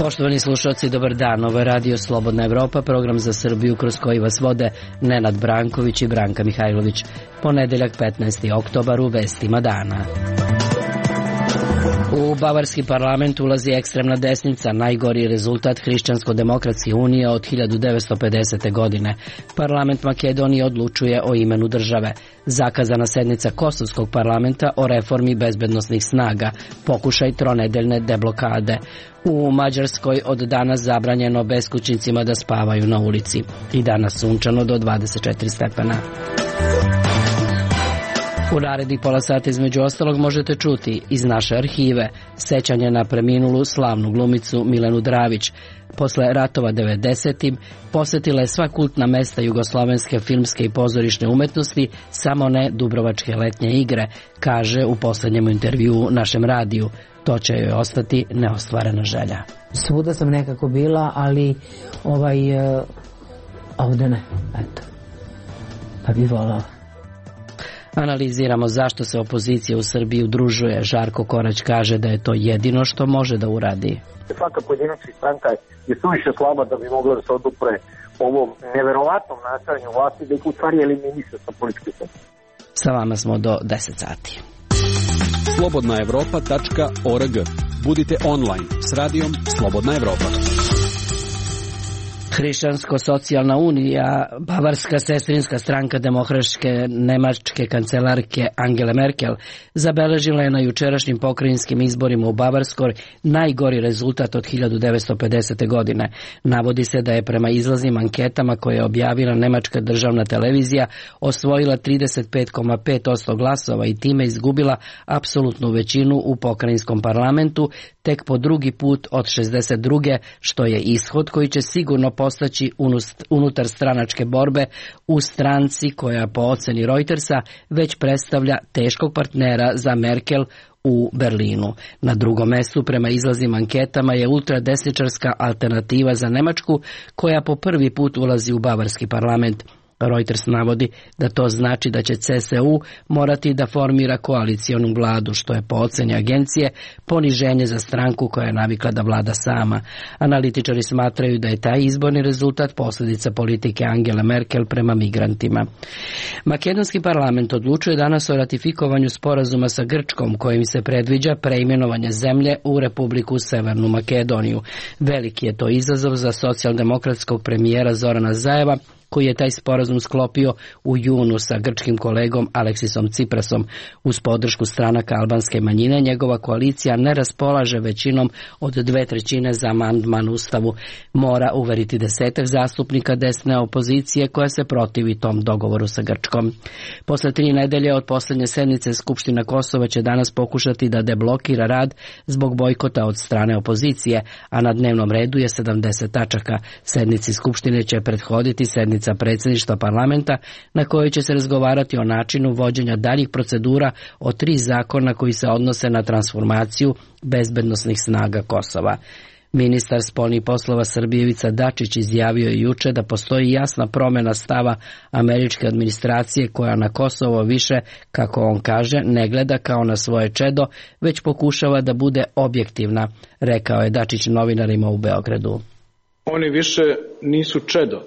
Poštovani slušalci, dobar dan. Ovo je Radio Slobodna Evropa, program za Srbiju kroz koji vas vode Nenad Branković i Branka Mihajlović. Ponedeljak 15. oktobar u vestima dana. U bavarski parlament ulazi ekstremna desnica, najgori rezultat Hrišćansko-demokratske unije od 1950. godine. Parlament Makedonije odlučuje o imenu države. Zakazana sednica Kosovskog parlamenta o reformi bezbednosnih snaga, pokušaj tronedeljne deblokade. U Mađarskoj od danas zabranjeno beskućnicima da spavaju na ulici. I danas sunčano do 24 stepena. U narednih pola sata između ostalog možete čuti iz naše arhive sećanje na preminulu slavnu glumicu Milenu Dravić. Posle ratova 90. posetila je sva kultna mesta jugoslovenske filmske i pozorišne umetnosti, samo ne Dubrovačke letnje igre, kaže u poslednjem intervjuu našem radiju. To će joj ostati neostvarena želja. Svuda sam nekako bila, ali ovde ne, eto. Pa bi volala. Analiziramo zašto se opozicija u Srbiji udružuje. Žarko Korać kaže da je to jedino što može da uradi. Svaka pojedinačna stranka je suviše slaba da bi mogla da se odupre ovom neverovatnom nastajanju vlasti, da ih u stvari eliminiše sa političke scene. Sa vama smo do 10 sati. slobodnaevropa.org. Budite online s radijom Slobodna Evropa. Hrišćansko-socijalna unija, bavarska sestrinska stranka demokratske nemačke kancelarke Angele Merkel, zabeležila je na jučerašnjim pokrajinskim izborima u Bavarskoj najgori rezultat od 1950. godine. Navodi se da je prema izlaznim anketama koje je objavila nemačka državna televizija osvojila 35,5% glasova i time izgubila apsolutnu većinu u pokrajinskom parlamentu, tek po drugi put od 62. što je ishod koji će sigurno postaći unutar stranačke borbe u stranci koja po oceni Reutersa već predstavlja teškog partnera za Merkel u Berlinu. Na drugom mestu prema izlaznim anketama je ultradesničarska Alternativa za Nemačku koja po prvi put ulazi u bavarski parlament. Reuters navodi da to znači da će CSU morati da formira koalicionu vladu, što je po oceni agencije poniženje za stranku koja je navikla da vlada sama. Analitičari smatraju da je taj izborni rezultat posljedica politike Angele Merkel prema migrantima. Makedonski parlament odlučuje danas o ratifikovanju sporazuma sa Grčkom kojim se predviđa preimenovanje zemlje u Republiku Severnu Makedoniju. Veliki je to izazov za socijaldemokratskog premijera Zorana Zajeva, koji je taj sporazum sklopio u junu sa grčkim kolegom Aleksisom Ciprasom. Uz podršku stranaka albanske manjine, njegova koalicija ne raspolaže većinom od 2/3 za amandman Ustavu. Mora uveriti 10 zastupnika desne opozicije koja se protivi tom dogovoru sa Grčkom. Posle 3 nedelje od posljednje sednice Skupština Kosova će danas pokušati da deblokira rad zbog bojkota od strane opozicije, a na dnevnom redu je 70 tačaka. Sednici Skupštine će prethoditi sednica predsjedništva parlamenta na kojoj će se razgovarati o načinu vođenja daljih procedura o 3 zakona koji se odnose na transformaciju bezbednosnih snaga Kosova. Ministar spoljnih poslova Srbije Ivica Dačić izjavio je juče da postoji jasna promjena stava američke administracije koja na Kosovo više, kako on kaže, ne gleda kao na svoje čedo, već pokušava da bude objektivna, rekao je Dačić novinarima u Beogradu. Oni više nisu čedo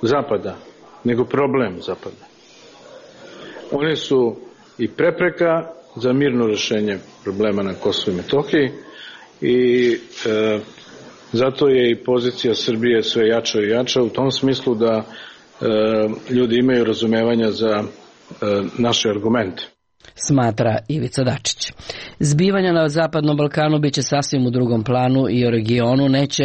Zapada, nego problem Zapada. One su i prepreka za mirno rješenje problema na Kosovu i Metohiji i zato je i pozicija Srbije sve jača i jača u tom smislu da ljudi imaju razumevanja za naše argumente. Smatra Ivica Dačić. Zbivanja na Zapadnom Balkanu biće sasvim u drugom planu i o regionu neće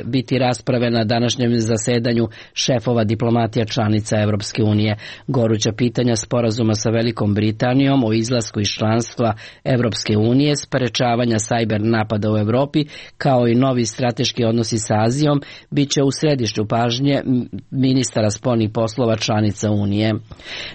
biti rasprave na današnjem zasedanju šefova diplomatija članica Evropske unije. Goruća pitanja sporazuma sa Velikom Britanijom o izlasku iz članstva Evropske unije, sprečavanja sajber napada u Evropi, kao i novi strateški odnosi sa Azijom, bit će u središtu pažnje ministara spoljnih poslova članica Unije.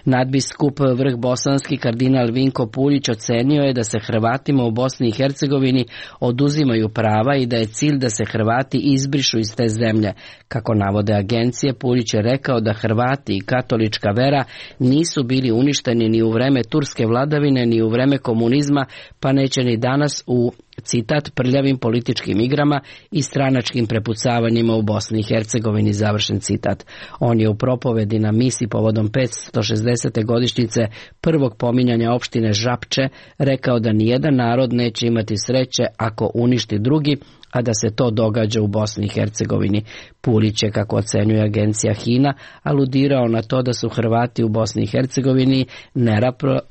Nadbiskup vrh bosanski kardinal kardinal Vinko Puljić ocenio je da se Hrvatima u Bosni i Hercegovini oduzimaju prava i da je cilj da se Hrvati izbrišu iz te zemlje. Kako navode agencije, Puljić je rekao da Hrvati i katolička vera nisu bili uništeni ni u vreme turske vladavine ni u vreme komunizma, pa neće ni danas u citat prljavim političkim igrama i stranačkim prepucavanjima u Bosni i Hercegovini, završen citat. On je u propovedi na misi povodom 560. godišnjice prvog pominjanja opštine Žapče rekao da nijedan narod neće imati sreće ako uništi drugi, a da se to događa u Bosni i Hercegovini. Puljić je, kako ocenjuje agencija HINA, aludirao na to da su Hrvati u Bosni i Hercegovini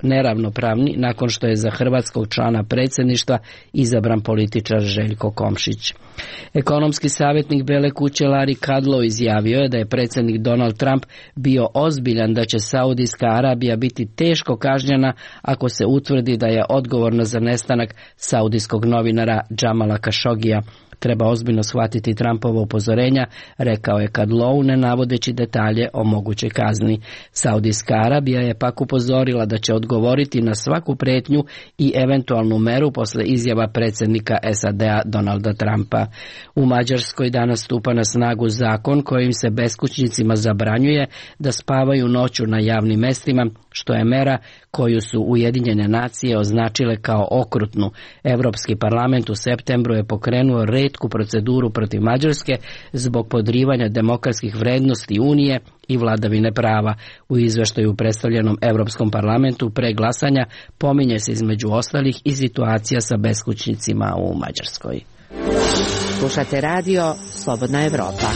neravnopravni nakon što je za hrvatskog člana predsjedništva izabran političar Željko Komšić. Ekonomski savjetnik Bele kuće Larry Kudlow izjavio je da je predsjednik Donald Trump bio ozbiljan da će Saudijska Arabija biti teško kažnjena ako se utvrdi da je odgovorna za nestanak saudijskog novinara Jamala Khashogija. Treba ozbiljno shvatiti Trumpova upozorenja, rekao je Kudlow, ne navodeći detalje o mogućoj kazni. Saudijska Arabija je pak upozorila da će odgovoriti na svaku prijetnju i eventualnu meru posle izjava predsjednika SAD-a Donalda Trumpa. U Mađarskoj danas stupa na snagu zakon kojim se beskućnicima zabranjuje da spavaju noću na javnim mestima, što je mera koju su Ujedinjene nacije označile kao okrutnu. Europski parlament u septembru je pokrenuo retku proceduru protiv Mađarske zbog podrivanja demokratskih vrednosti Unije i vladavine prava. U izveštaju predstavljenom Europskom parlamentu pre glasanja pominje se između ostalih i situacija sa beskućnicima u Mađarskoj. Slušate radio Slobodna Evropa.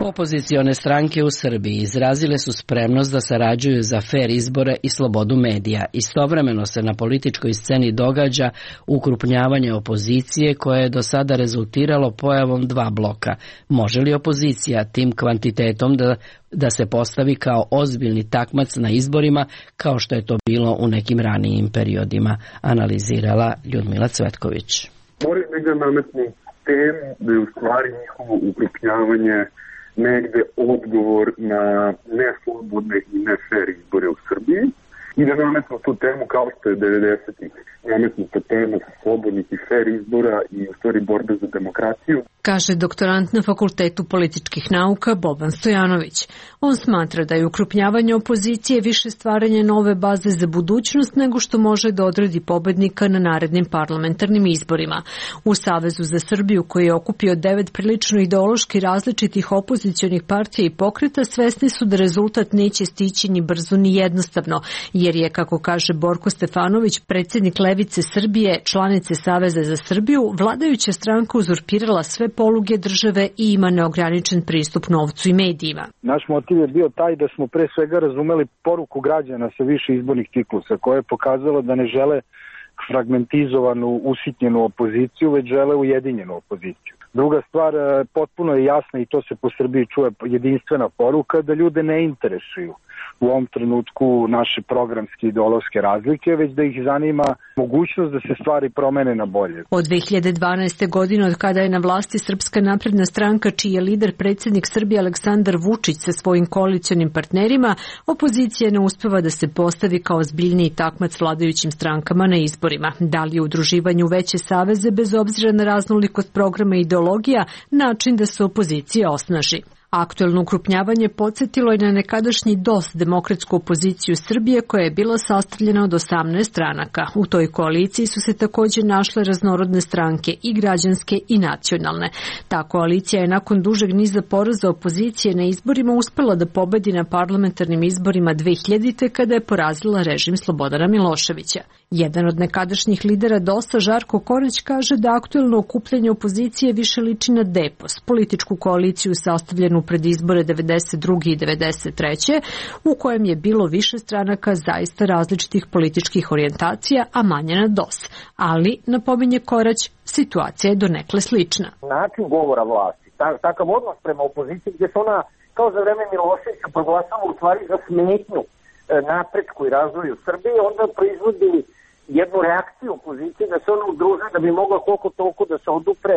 Opozicione stranke u Srbiji izrazile su spremnost da sarađuju za fer izbore i slobodu medija. Istovremeno se na političkoj sceni događa ukrupnjavanje opozicije koje je do sada rezultiralo pojavom dva bloka. Može li opozicija tim kvantitetom da se postavi kao ozbiljni takmac na izborima kao što je to bilo u nekim ranijim periodima, analizirala Ljudmila Cvetković. Moraju da ga nametnu temu da je u stvari njihovo ukrupnjavanje negde odgovor na neslobodne i nefer izbore u Srbiji i da nametnu tu temu kao što je 90-ih nametnuta tema slobodnih i fer izbora i u stvari borbe za demokraciju. Kaže doktorant na Fakultetu političkih nauka Boban Stojanović. On smatra da je ukrupnjavanje opozicije više stvaranje nove baze za budućnost nego što može da odredi pobednika na narednim parlamentarnim izborima. U Savezu za Srbiju, koji je okupio 9 prilično ideološki različitih opozicionih partija i pokreta, svesni su da rezultat neće stići ni brzo ni jednostavno, jer je, kako kaže Borko Stefanović, predsjednik Levice Srbije, članice Saveza za Srbiju, vladajuća stranka uzurpirala sve poluge države i ima neograničen pristup novcu i medijima. Naš motiv je bio taj da smo pre svega razumeli poruku građana sa više izbornih ciklusa, koja je pokazala da ne žele fragmentizovanu, usitnjenu opoziciju, već žele ujedinjenu opoziciju. Druga stvar, potpuno je jasna i to se po Srbiji čuje jedinstvena poruka, da ljude ne interesuju u ovom trenutku naše programske ideološke razlike, već da ih zanima mogućnost da se stvari promene na bolje. Od 2012. godine, od kada je na vlasti Srpska napredna stranka, čiji je lider predsjednik Srbije Aleksandar Vučić sa svojim koalicionim partnerima, opozicija ne uspeva da se postavi kao ozbiljniji takmac vladajućim strankama na izborima. Da li je udruživanje u veće saveze, bez obzira na raznolikost programa i ideologija, način da se opozicija osnaži? Aktuelno ukrupnjavanje podsjetilo je na nekadašnji DOS, demokratsku opoziciju Srbije, koja je bila sastavljena od 18 stranaka. U toj koaliciji su se također našle raznorodne stranke, i građanske i nacionalne. Ta koalicija je nakon dužeg niza poraza opozicije na izborima uspela da pobedi na parlamentarnim izborima 2000. kada je porazila režim Slobodana Miloševića. Jedan od nekadašnjih lidera DOS-a, Žarko Korać, kaže da aktuelno okupljanje opozicije više liči na DEPOS, političku koaliciju sastavljenu pred izbore 92. i 93. u kojem je bilo više stranaka zaista različitih političkih orijentacija, a manje na DOS. Ali, napominje Korać, situacija je donekle slična. Način govora vlasti, takav odnos prema opoziciji gdje se ona kao za vreme Miloševića proglasala u stvari za smetnju napretku i razvoju Srbije, onda proizvodi jednu reakciju opozicije da se ona udruže da bi mogla koliko toliko da se odupre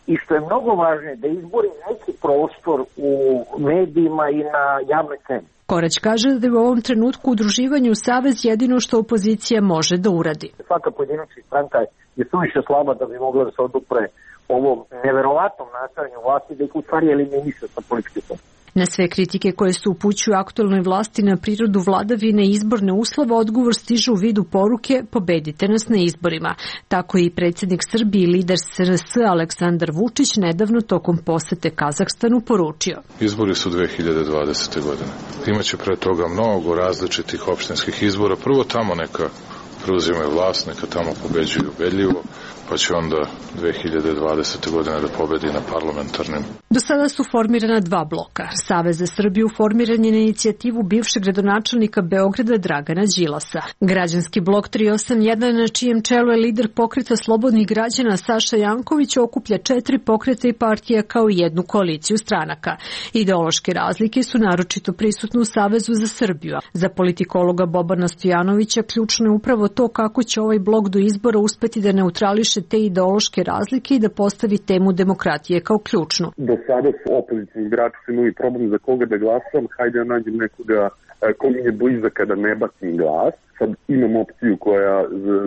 i što je mnogo važnije da izbori neki prostor u medijima i na javnoj sceni. Korać kaže da je u ovom trenutku udruživanje u savez jedino što opozicija može da uradi. Svaka pojedinačna stranka je suviše slaba da bi mogla da se odupre ovom neverovatnom nastajanju vlasti, da ih u stvari eliminiše sa političke scene. Na sve kritike koje se upućuju aktualnoj vlasti na prirodu vladavine i izborne uslove, odgovor stiže u vidu poruke pobedite nas na izborima. Tako i predsjednik Srbije i lider SRS Aleksandar Vučić nedavno tokom posete Kazahstanu poručio. Izbori su 2020. godine. Imaće pre toga mnogo različitih opštinskih izbora. Prvo tamo neka preuzimaju vlast, neka tamo pobeđuju ubedljivo, pa će onda 2020. godine da pobedi na parlamentarnim. Do sada su formirana dva bloka. Savez za Srbiju formiran je na inicijativu bivšeg gradonačelnika Beograda Dragana Đilasa. Građanski blok 381, na čijem čelu je lider pokreta slobodnih građana Saša Janković, okuplja 4 pokreta i partija kao i jednu koaliciju stranaka. Ideološke razlike su naročito prisutne u Savezu za Srbiju. Za politikologa Bobana Stojanovića ključno je upravo to kako će ovaj blok do izbora uspeti da neutrališe te ideološke razlike i da postavi temu demokratije kao ključnu. Do sada su opozicijni birači su imali problem za koga da glasam, hajde ja nađem nekoga ko mi je blizak kada ne bacim glas. Sad imam opciju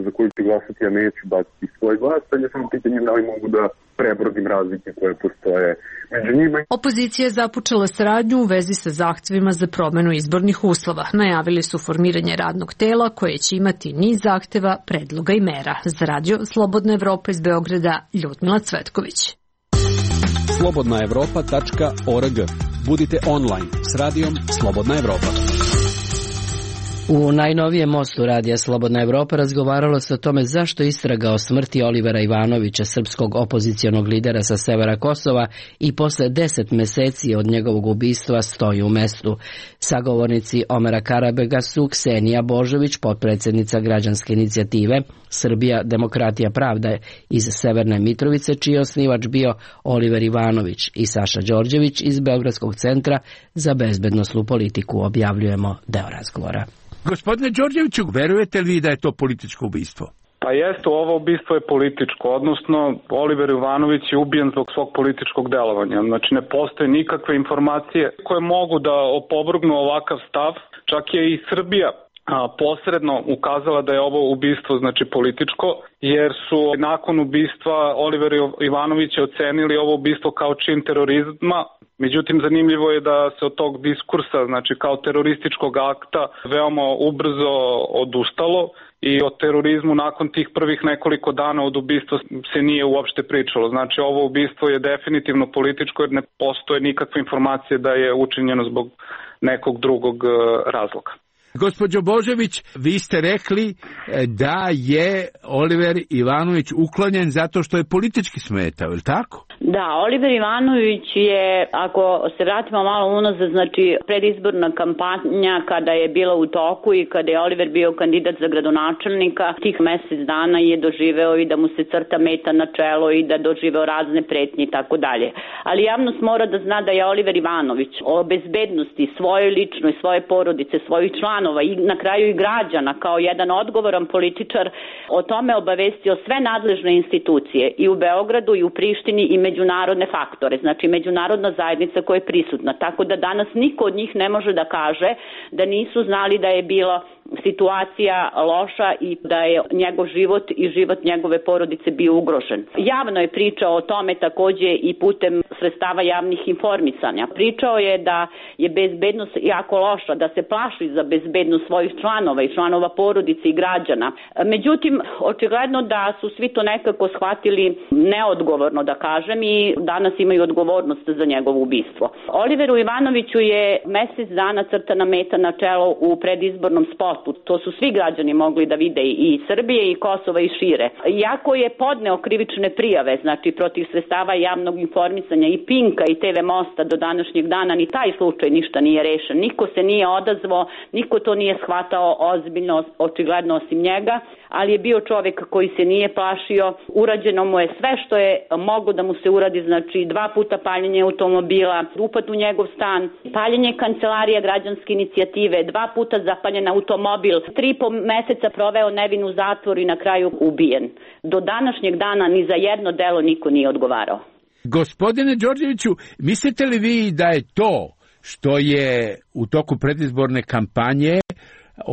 za koju ću glasati, ja neću baciti svoj glas, sad je samo pitanje da li mogu da prebrodim razlike koje postoje među njima. Opozicija je započela saradnju u vezi sa zahtevima za promenu izbornih uslova. Najavili su formiranje radnog tela koje će imati niz zahteva, predloga i mera. Za radio Slobodna Evropa iz Beograda, Ljudmila Cvetković. slobodnaevropa.org. Budite online s radijom Slobodna Evropa. U najnovijem mostu radija Slobodna Evropa razgovaralo se o tome zašto istraga o smrti Olivera Ivanovića, srpskog opozicionog lidera sa severa Kosova, i posle 10 meseci od njegovog ubistva stoji u mestu. Sagovornici Omera Karabega su Ksenija Božović, potpredsjednica građanske inicijative Srbija, demokratija, pravda iz Severne Mitrovice, čiji je osnivač bio Oliver Ivanović, i Saša Đorđević iz Beogradskog centra za bezbednosnu politiku. Objavljujemo deo razgovora. Gospodine Đorđeviću, verujete li da je to političko ubistvo? Pa jeste, ovo ubistvo je političko, odnosno Oliver Ivanović je ubijen zbog svog političkog delovanja. Znači ne postoje nikakve informacije koje mogu da opovrgnu ovakav stav. Čak je i Srbija posredno ukazala da je ovo ubistvo znači političko, jer su nakon ubistva Olivera Ivanovića ocenili ovo ubistvo kao čin terorizma. Međutim, zanimljivo je da se od tog diskursa, znači kao terorističkog akta, veoma ubrzo odustalo i o terorizmu nakon tih prvih nekoliko dana od ubistva se nije uopšte pričalo. Znači, ovo ubistvo je definitivno političko jer ne postoje nikakve informacije da je učinjeno zbog nekog drugog razloga. Gospođo Božović, vi ste rekli da je Oliver Ivanović uklonjen zato što je politički smetao, je li tako? Da, Oliver Ivanović je, ako se vratimo malo unazad, znači predizborna kampanja kada je bila u toku i kada je Oliver bio kandidat za gradonačelnika, tih mesec dana je doživeo i da mu se crta meta na čelo i da doživeo razne pretnje i tako dalje. Ali javnost mora da zna da je Oliver Ivanović o bezbednosti svoje ličnoj, svoje porodice, svojih članova i na kraju i građana kao jedan odgovoran političar o tome obavestio sve nadležne institucije i u Beogradu i u Prištini i međunarodne faktore, znači međunarodna zajednica koja je prisutna. Tako da danas niko od njih ne može da kaže da nisu znali da je bila situacija loša i da je njegov život i život njegove porodice bio ugrožen. Javno je pričao o tome takođe i putem sredstava javnih informisanja. Pričao je da je bezbednost jako loša, da se plaši za bezbednost svojih članova i članova porodice i građana. Međutim, očigledno da su svi to nekako shvatili neodgovorno, da kažem, i danas imaju odgovornost za njegovo ubistvo. Oliveru Ivanoviću je mesec dana crtana meta na čelo u predizbornom spotu. To su svi građani mogli da vide i Srbije i Kosova i šire. Iako je podneo krivične prijave, znači protiv sredstava javnog informisanja i Pinka i TV Mosta, do današnjeg dana ni taj slučaj ništa nije rešen. Niko se nije odazvao, niko to nije shvatao ozbiljno, očigledno osim njega, ali je bio čovjek koji se nije plašio. Urađeno mu je sve što je moglo da mu se uradi, znači 2 puta paljenje automobila, upad u njegov stan, paljenje kancelarija građanske inicijative, 2 puta zapaljen automobil, 3,5 meseca proveo nevin u zatvoru i na kraju ubijen. Do današnjeg dana ni za jedno delo niko nije odgovarao. Gospodine Đorđeviću, mislite li vi da je to što je u toku predizborne kampanje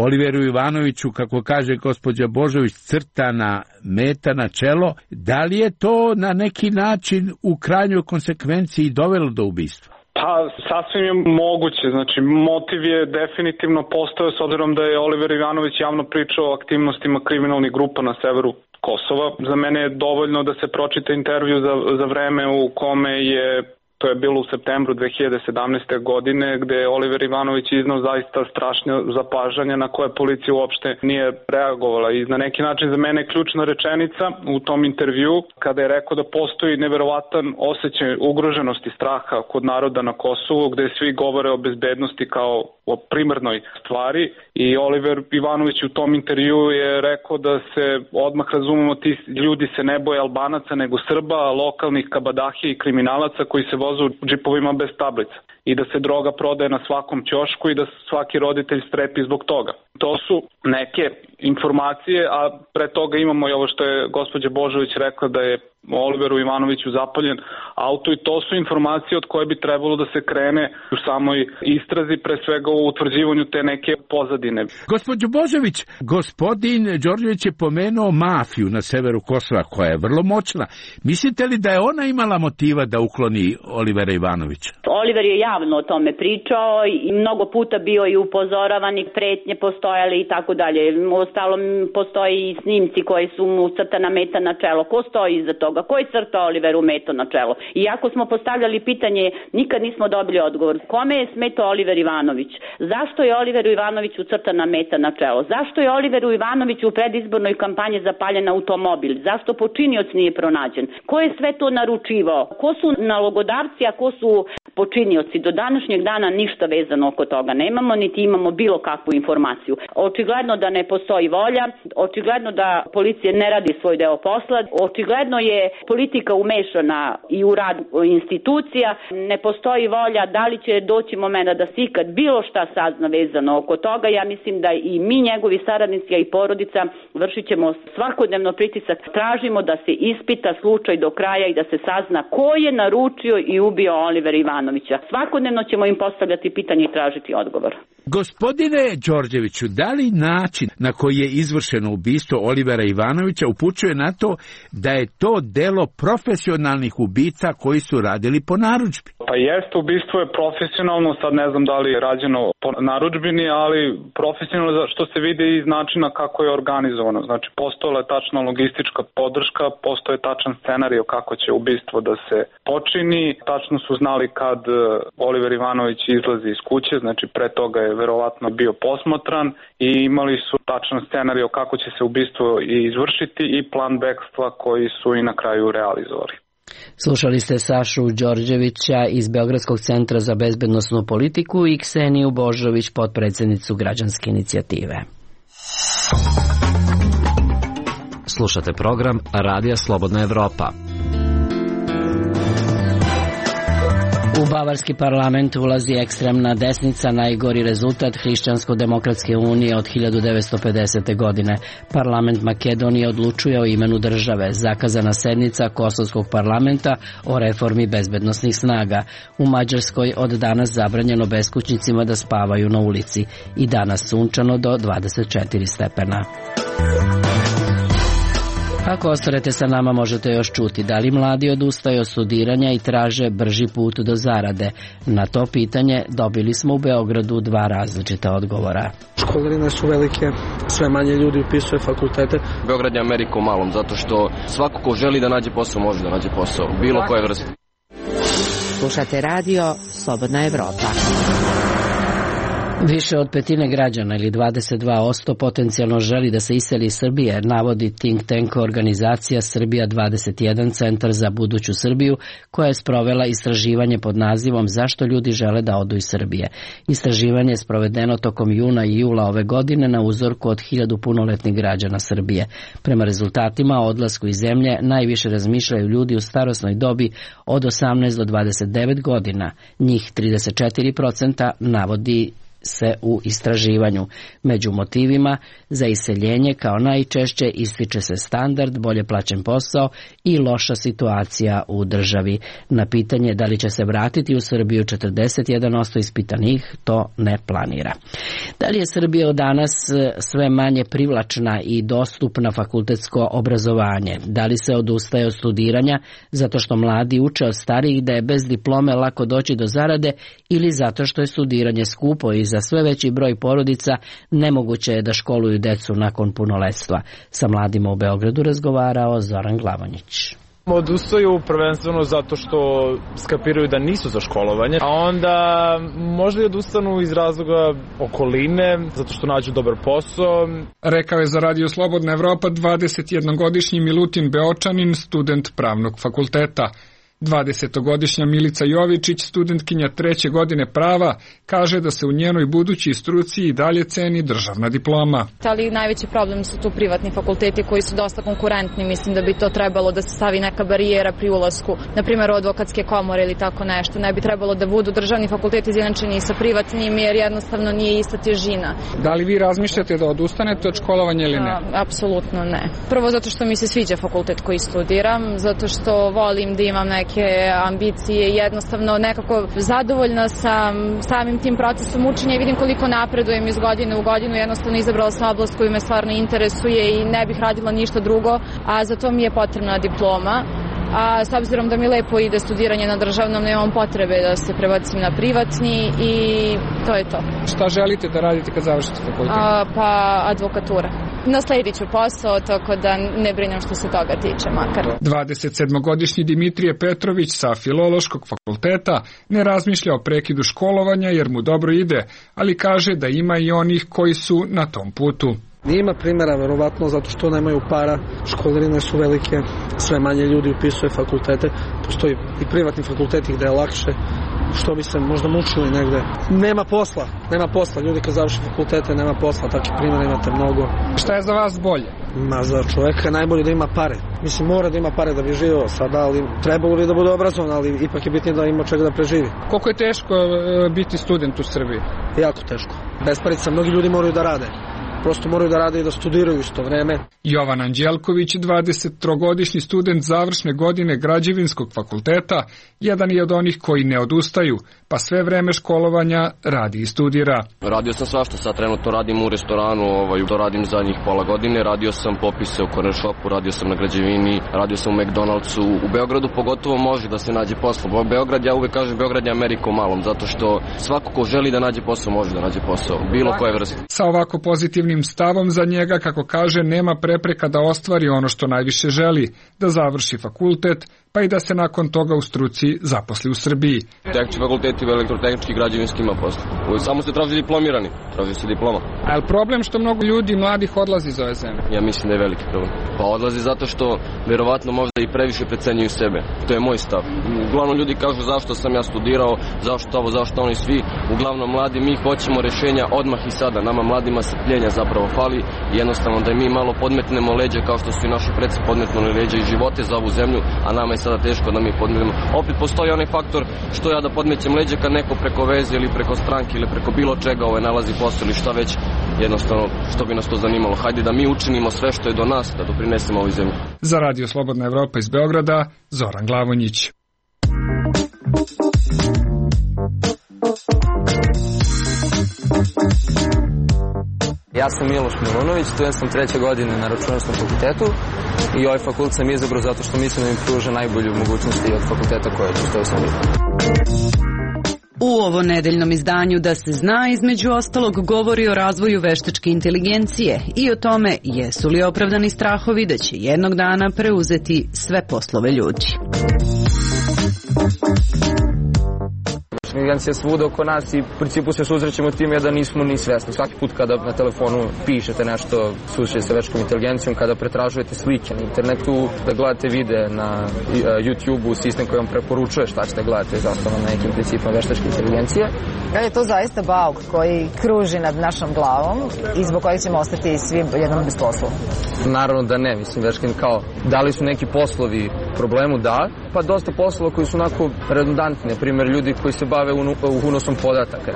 Oliveru Ivanoviću, kako kaže gospođa Božović, crtana meta na čelo. Da li je to na neki način u krajnjoj konsekvenciji dovelo do ubistva? Pa, sasvim je moguće. Znači, motiv je definitivno postojao s obzirom da je Oliver Ivanović javno pričao o aktivnostima kriminalnih grupa na severu Kosova. Za mene je dovoljno da se pročita intervju za vreme u kome je, to je bilo u septembru 2017. godine, gde je Oliver Ivanović iznao zaista strašne zapažanja na koje policija uopšte nije reagovala. I na neki način za mene je ključna rečenica u tom intervju, kada je rekao da postoji neverovatan osjećaj ugroženosti, straha kod naroda na Kosovu, gde svi govore o bezbednosti kao o primarnoj stvari. I Oliver Ivanović u tom intervju je rekao da se odmah razumemo, ti ljudi se ne boje Albanaca nego Srba, lokalnih kabadahija i kriminalaca koji se voze u džipovima bez tablica i da se droga prodaje na svakom ćošku i da svaki roditelj strepi zbog toga. To su neke informacije, a pre toga imamo i ovo što je gospođa Božović rekla da je Oliveru Ivanoviću zapaljen auto i to su informacije od koje bi trebalo da se krene u samoj istrazi, pre svega u utvrđivanju te neke pozadine. Gospođo Božović, gospodin Đorđević je pomenuo mafiju na severu Kosova koja je vrlo moćna. Mislite li da je ona imala motiva da ukloni Olivera Ivanovića? Oliver je javno o tome pričao i mnogo puta bio i upozoravan i pretnje postojale i tako dalje. Ostalo postoji i snimci koji su mu crtana meta na čelo. Ko stoji iza toga? Ko je crtao Oliveru meto na čelo? Iako smo postavljali pitanje, nikad nismo dobili odgovor. Kome je smetao Oliver Ivanović? Zašto je Oliveru Ivanoviću crtana meta na čelo? Zašto je Oliveru Ivanoviću u predizbornoj kampanji zapaljen automobil? Zašto počinioc nije pronađen? Ko je sve to naručivao? Ko su nalogodavci, a ko su počinioci? Do današnjeg dana ništa vezano oko toga nemamo, niti imamo bilo kakvu informaciju. Očigledno da ne postoji volja, očigledno da policija ne radi svoj deo posla, očigledno je politika umešana i u rad institucija, ne postoji volja. Da li će doći momenta da se ikad bilo šta sazna vezano oko toga? Ja mislim da i mi, njegovi saradnici, a i porodica, vršit ćemo svakodnevno pritisak. Tražimo da se ispita slučaj do kraja i da se sazna ko je naručio i ubio Olivera Ivanovića. Svakodnevno ćemo im postavljati pitanje i tražiti odgovor. Gospodine Đorđeviću, da li način na koji je izvršeno ubistvo Olivera Ivanovića upućuje na to da je to delo profesionalnih ubica koji su radili po narudžbi? Pa jeste, ubistvo je profesionalno, sad ne znam da li je rađeno po narudžbini, ali profesionalno što se vidi iz načina kako je organizovano. Znači, postojala je tačna logistička podrška, postoje tačan scenarij kako će ubistvo da se počini, tačno su znali kad Oliver Ivanović izlazi iz kuće, znači pre toga je verovatno bio posmatran i imali su tačan scenarij kako će se ubistvo izvršiti i plan bekstva koji su i na kraju realizovali. Slušali ste Sašu Đorđevića iz Beogradskog centra za bezbednosnu politiku i Kseniju Božović, potpredsjednicu građanske inicijative. Slušate program Radija Slobodna Evropa. U bavarski parlament ulazi ekstremna desnica, najgori rezultat Hrišćansko-demokratske unije od 1950. godine. Parlament Makedonije odlučuje o imenu države. Zakazana sednica Kosovskog parlamenta o reformi bezbednosnih snaga. U Mađarskoj od danas zabranjeno beskućnicima da spavaju na ulici. I danas sunčano do 24 stepena. Ako ostanete sa nama, možete još čuti da li mladi odustaju od studiranja i traže brži put do zarade. Na to pitanje dobili smo u Beogradu dva različita odgovora. Školarine su velike, sve manje ljudi upisuje fakultete. Beograd je Amerika u malom, zato što svako ko želi da nađe posao može da nađe posao, bilo koje vrste. Slušate radio Slobodna Evropa. Više od petine građana ili 22% potencijalno želi da se iseli iz Srbije, navodi think tank organizacija Srbija 21 centar za buduću Srbiju, koja je sprovela istraživanje pod nazivom Zašto ljudi žele da odu iz Srbije. Istraživanje je sprovedeno tokom juna i jula ove godine na uzorku od 1000 punoletnih građana Srbije. Prema rezultatima o odlasku iz zemlje najviše razmišljaju ljudi u starosnoj dobi od 18 do 29 godina. Njih 34% navodi se u istraživanju. Među motivima za iseljenje kao najčešće ističe se standard, bolje plaćen posao i loša situacija u državi. Na pitanje da li će se vratiti u Srbiju, 41% ispitanih to ne planira. Da li je Srbija od danas sve manje privlačna i dostupna fakultetsko obrazovanje? Da li se odustaje od studiranja zato što mladi uče od starijih da je bez diplome lako doći do zarade ili zato što je studiranje skupo i za sve veći broj porodica nemoguće je da školuju decu nakon punoletstva? Sa mladima u Beogradu razgovarao Zoran Glavonjić. Odustaju prvenstveno zato što skapiraju da nisu za školovanje, a onda možda i odustanu iz razloga okoline, zato što nađu dobar posao. Rekao je za Radio Slobodna Evropa 21-godišnji Milutin Beočanin, student pravnog fakulteta. 20-godišnja Milica Jovičić, studentkinja 3. godine prava, kaže da se u njenoj budućoj struci i dalje ceni državna diploma. Ali najveći problem su tu privatni fakulteti koji su dosta konkurentni. Mislim da bi to trebalo da se stavi neka barijera pri ulasku, na primjer u advokatske komore ili tako nešto. Ne bi trebalo da budu državni fakulteti izjednačeni sa privatnim jer jednostavno nije ista težina. Da li vi razmišljate da odustanete od školovanja ili ne? Apsolutno ne. Prvo zato što mi se sviđa fakultet koji studiram, zato što volim da imam neke ambicije i jednostavno nekako zadovoljna sam samim tim procesom učenja i vidim koliko napredujem iz godine u godinu. Jednostavno izabrala sam oblast koju me stvarno interesuje i ne bih radila ništa drugo, a za to mi je potrebna diploma. A s obzirom da mi lepo ide studiranje na državnom, nemam potrebe da se prebacim na privatni i to je to. Šta želite da radite kad završite fakultet? Pa advokatura. Nasledit ću posao, tako da ne brinem što se toga tiče makar. 27-godišnji Dimitrije Petrović sa Filološkog fakulteta ne razmišlja o prekidu školovanja jer mu dobro ide, ali kaže da ima i onih koji su na tom putu. Ima primjera, verovatno, zato što nemaju para, školarine su velike, sve manje ljudi upisuje fakultete, postoji i privatni fakulteti gde je lakše, što bi se možda mučili negde. Nema posla, ljudi kad završi fakultete nema posla, takih primjera imate mnogo. Šta je za vas bolje? Za čoveka je najbolje da ima pare. Mislim, mora da ima pare da bi živio sada, ali trebalo bi da bude obrazovan, ali ipak je bitnije da ima čega da preživi. Koliko je teško biti student u Srbiji? Jako teško. Bez parica, mnogi ljudi moraju da rade. Prosto moraju da rade i da studiraju isto vreme. Jovan Anđelković, 23-godišnji student završne godine Građevinskog fakulteta, jedan je od onih koji ne odustaju, pa sve vreme školovanja radi i studira. Radio sam svašta, sad trenutno radim u restoranu, to radim zadnjih pola godine, radio sam popise u corner shopu, radio sam na građevini, radio sam u McDonald'su. U Beogradu pogotovo može da se nađe posao. Beograd, ja uvek kažem, Beograd je Amerika u malom, zato što svako ko želi da nađe posao, može da nađe posao, bilo koje vrste. Sa ovako pozitivnim stavom za njega, kako kaže, nema prepreka da ostvari ono što najviše želi, da završi fakultet, pa i da se nakon toga u struci zaposli u Srbiji. Tehnički fakulteti, elektrotehnički, građevinski ima posla. Samo se traži diplomirani, traži se diploma. A je problem što mnogo ljudi mladih odlazi iz ove zemlje? Ja mislim da je veliki problem. Pa odlazi zato što verovatno možda i previše precenjuju sebe. To je moj stav. Uglavnom ljudi kažu zašto sam ja studirao, zašto ovo, zašto oni svi. Uglavnom mladi, mi hoćemo rešenja odmah i sada. Nama mladima strpljenja zapravo fali i jednostavno da mi malo podmetnemo leđa kao što su i naši preci podmetnuli leđa i živote za ovu zemlju, a nama je sada teško da mi podmetnemo. Opet postoji onaj faktor što ja da podmećem leđa kad neko preko veze ili preko stranke ili preko bilo čega nalazi posao ili šta već, jednostavno što bi nas to zanimalo. Hajde da mi učinimo sve što je do nas, da doprinesemo ovoj zemlji. Za Radio Slobodna Evropa iz Beograda, Zoran Glavonjić. Ja sam Miloš Milunović, student sam 3. godine na Računarskom fakultetu i ovaj fakultet sam izabrao zato što mislim da mi pruža najbolju mogućnosti od fakulteta koje postoje u Srbiji. U ovo nedeljnom izdanju Da se zna, između ostalog, govori o razvoju veštačke inteligencije i o tome jesu li opravdani strahovi da će jednog dana preuzeti sve poslove ljudi. Inteligencija svuda oko nas i u principu se susrećemo time da nismo ni svesni. Svaki put kada na telefonu pišete nešto, susrećete sa veštačkom inteligencijom, kada pretražujete slike na internetu, da gledate videe na YouTube-u, sistem koji vam preporučuje šta ćete gledati, zasnovan na nekim principima veštačke inteligencije. Je to zaista bauk koji kruži nad našom glavom i zbog kojeg ćemo ostati svi jednom bez posla? Naravno da ne, mislim, veštačkim kao, da li su neki poslovi problemu, da, pa dosta poslova koji su onako redundantni, na primjer ljudi koji se bave unosom podataka.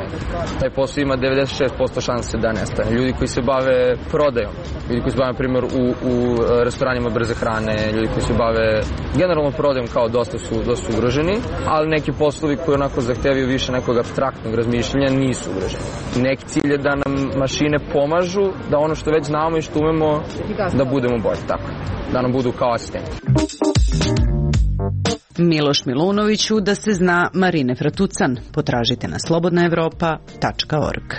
Taj posao ima 96% šanse da nestane. Ljudi koji se bave prodajom, ljudi koji se bave, na primjer, u restoranima brze hrane, ljudi koji se bave generalno prodajom kao dosta su ugroženi, ali neki poslovi koji onako zahtevaju više nekog apstraktnog razmišljanja nisu ugroženi. Neki cilj je da nam mašine pomažu, da ono što već znamo i što umemo, da budemo bolji, tako, da nam budu kao asistenti. Miloš Milunoviću da se zna Marine Fratucan. Potražite na slobodnaevropa.org.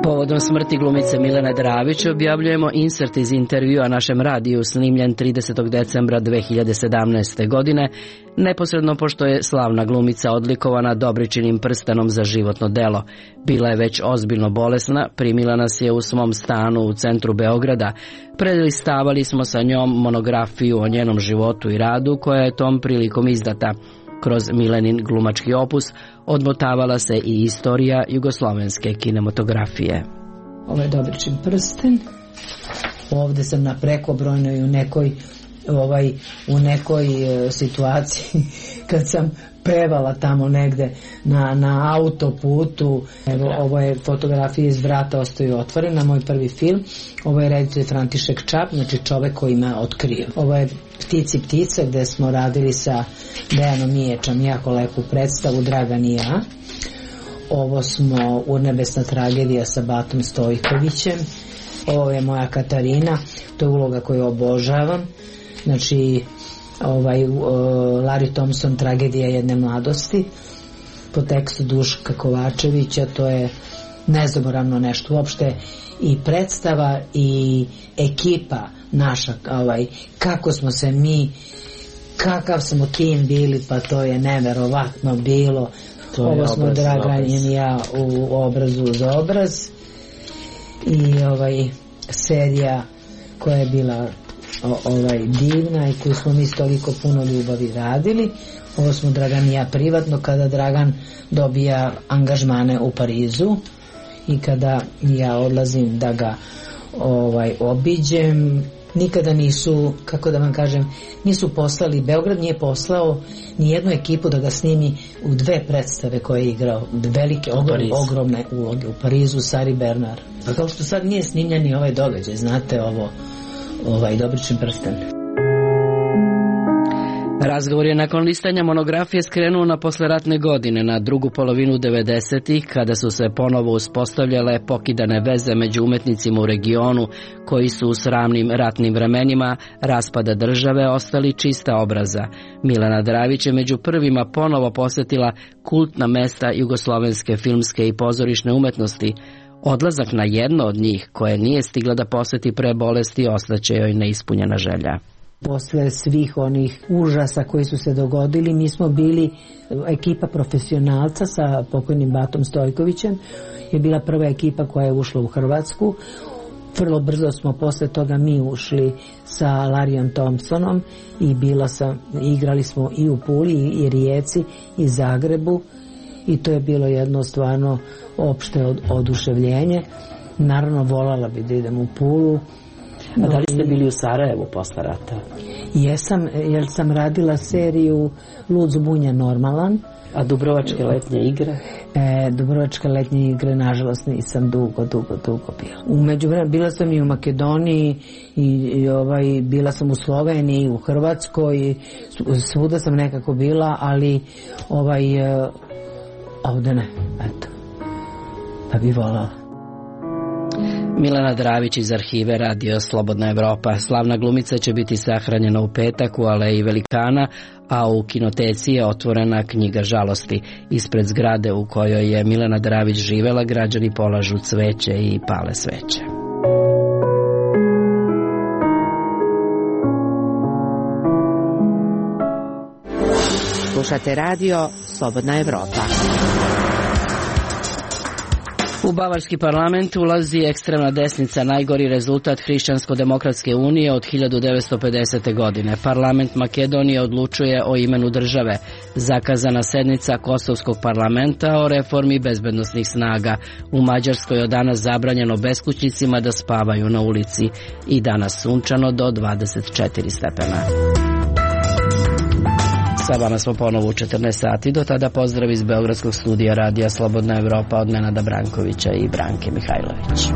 Povodom smrti glumice Milene Dravić objavljujemo insert iz intervjua našem radiju snimljen 30. decembra 2017. godine, neposredno pošto je slavna glumica odlikovana Dobričinim prstenom za životno delo. Bila je već ozbiljno bolesna, primila nas je u svom stanu u centru Beograda. Prelistavali smo sa njom monografiju o njenom životu i radu koja je tom prilikom izdata. Kroz Milenin glumački opus odmotavala se i istorija jugoslovenske kinematografije. Ovo je Dobričin prsten. Ovde sam na prekobrojnoj u nekoj situaciji kad sam pevala tamo negde na autoputu. Evo, ovo je fotografija iz Vrata ostaju otvorena, moj prvi film. Ovo je reditelj František Čap, znači čovek koji me otkrio. Ovo je Ptici ptica gde smo radili sa Dejanom Miječom jako lepu predstavu, Dragan i ja. Ovo smo Urnebesna tragedija sa Batom Stojkovićem. Ovo je moja Katarina, to je uloga koju obožavam. Znači, Larry Thompson, Tragedija jedne mladosti, po tekstu Duška Kovačevića, to je nezaboravno nešto uopšte, i predstava i ekipa naša, kako smo se mi, kakav smo tim bili, pa to je neverovatno bilo. Ovo smo Dragan i ja u Obrazu za obraz i serija koja je bila divna i koju smo mi s toliko puno ljubavi radili. Ovo smo Dragan i ja privatno, kada Dragan dobija angažmane u Parizu i kada ja odlazim da ga obiđem. Nikada nisu, kako da vam kažem, nisu poslali, Beograd nije poslao ni jednu ekipu da ga snimi u dve predstave koje je igrao, velike, ogromne uloge u Parizu, Sari Bernard. A kao što sad nije snimljen ni ovaj događaj, znate ovo, Dobričin prsten. Razgovor je nakon listanja monografije skrenuo na posleratne godine, na drugu polovinu 90-ih, kada su se ponovo uspostavljale pokidane veze među umetnicima u regionu, koji su u sramnim ratnim vremenima raspada države ostali čista obraza. Milena Dravić je među prvima ponovo posjetila kultna mesta jugoslovenske filmske i pozorišne umetnosti. Odlazak na jedno od njih, koje nije stigla da poseti pre bolesti, ostaće joj neispunjena želja. Posle svih onih užasa koji su se dogodili, mi smo bili ekipa profesionalca sa pokojnim Batom Stojkovićem, je bila prva ekipa koja je ušla u Hrvatsku. Vrlo brzo smo posle toga mi ušli sa Larryom Thompsonom i igrali smo i u Puli i Rijeci i Zagrebu i to je bilo jedno stvarno opšte oduševljenje. Naravno, volala bi da idem u Pulu. A da li ste bili u Sarajevu posle rata? Jesam, jer sam radila seriju Lud zbunja normalan. A Dubrovačke letnje igre? Dubrovačke letnje igre, nažalost, nisam dugo bila. U međuvremenu bila sam i u Makedoniji i bila sam u Sloveniji, u Hrvatskoj, svuda sam nekako bila, ali ovde ne, eto, pa bi volala. Milena Dravić iz arhive Radio Slobodna Evropa. Slavna glumica će biti sahranjena u petak u Aleji Velikana, a u kinoteci je otvorena knjiga žalosti. Ispred zgrade u kojoj je Milena Dravić živela, građani polažu cveće i pale sveće. Slušate radio Slobodna Evropa. U bavarski parlament ulazi ekstremna desnica, najgori rezultat Hrišćansko-demokratske unije od 1950. godine. Parlament Makedonije odlučuje o imenu države. Zakazana sednica Kosovskog parlamenta o reformi bezbednosnih snaga. U Mađarskoj od danas zabranjeno beskućnicima da spavaju na ulici. I danas sunčano do 24 stepena. Sa vama smo ponovo u 14 sati. Do tada pozdrav iz Beogradskog studija Radija Slobodna Evropa od Nenada Brankovića i Branke Mihajlović.